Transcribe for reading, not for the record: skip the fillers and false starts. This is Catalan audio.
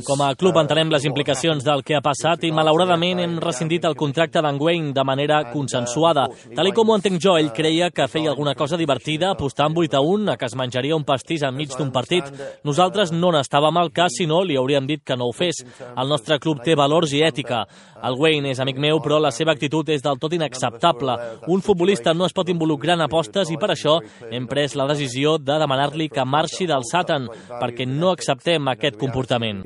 Com a club entenem les implicacions del que ha passat i malauradament hem rescindit el contracte d'en Wayne de manera consensuada. Tal com ho entenc jo, ell creia que feia alguna cosa divertida apostant 8-1 a que es menjaria un pastís enmig d'un partit. Nosaltres no n'estàvem al cas, si no li hauríem dit que no ho fes. El nostre club té valors i ètica. El Wayne és amic meu, però la seva actitud és del tot inacceptable. Un futbolista no es pot involucrar en apostes i per això hem pres la decisió de demanar-li que marxi del Sutton, perquè no acceptem aquest comportament.